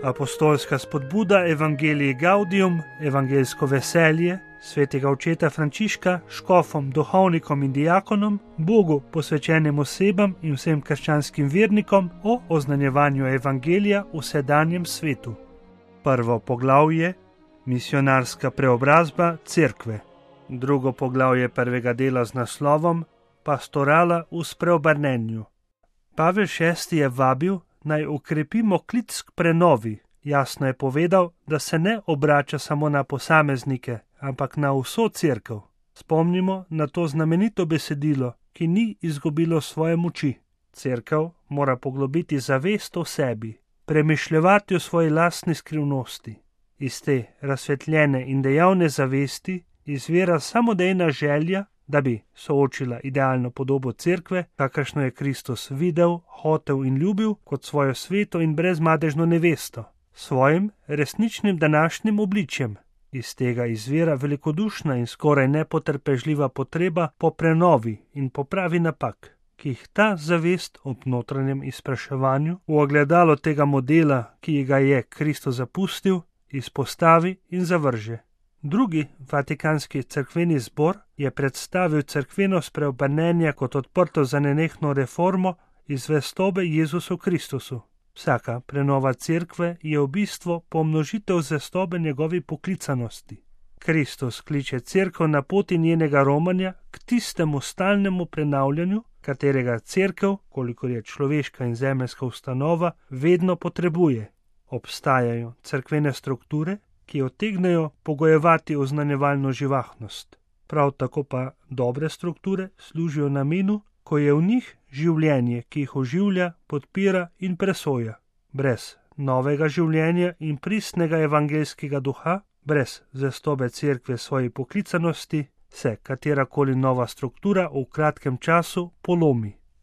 Apostolska spodbuda Evangelii Gaudium, evangeljsko veselje, svetega očeta Frančiška, škofom, duhovnikom in diakonom, Bogu posvečenim osebam in vsem krščanskim vernikom o oznanjevanju evangelija v sedanjem svetu. Prvo poglavje, misionarska preobrazba cerkve. Drugo poglavje prvega dela z naslovom Pastorala v spreobrnenju. Pavel VI je vabil, naj ukrepimo klic k prenovi. Jasno je povedal, da se ne obrača samo na posameznike, ampak na vso cerkev. Spomnimo na to znamenito besedilo, ki ni izgubilo svoje moči. Cerkev mora poglobiti zavest o sebi, premišljevati o svoji lastni skrivnosti. Iz te razsvetljene in dejavne zavesti izvira samodejna želja, da bi soočila idealno podobo cerkve, kakršno je Kristus videl, hotel in ljubil kot svojo sveto in brezmadežno nevesto, svojim resničnim današnjim obličjem. Iz tega izvira velikodušna in skoraj nepotrpežljiva potreba po prenovi in popravi napak, ki jih ta zavest ob notranjem izpraševanju v ogledalo tega modela, ki ga je Kristus zapustil, izpostavi in zavrže. Drugi vatikanski cerkveni zbor je predstavil cerkveno spreobrnenje kot odprto za nenehno reformo iz zvestobe Jezusu Kristusu. Vsaka prenova cerkve je v bistvu pomnožitev zvestobe njegovi poklicanosti. Kristus kliče cerkev na poti njenega romanja k tistemu stalnemu prenavljanju, katerega cerkev, kolikor je človeška in zemeljska ustanova, vedno potrebuje. Obstajajo cerkvene strukture, ki utegnejo pogojevati oznanjevalno živahnost. Prav tako pa dobre strukture služijo namenu, ko je v njih življenje, ki jih oživlja, podpira in presoja. Brez novega življenja in pristnega evangeljskega duha, brez zvestobe cerkve svoji poklicanosti, se katerakoli nova struktura v kratkem času polomi.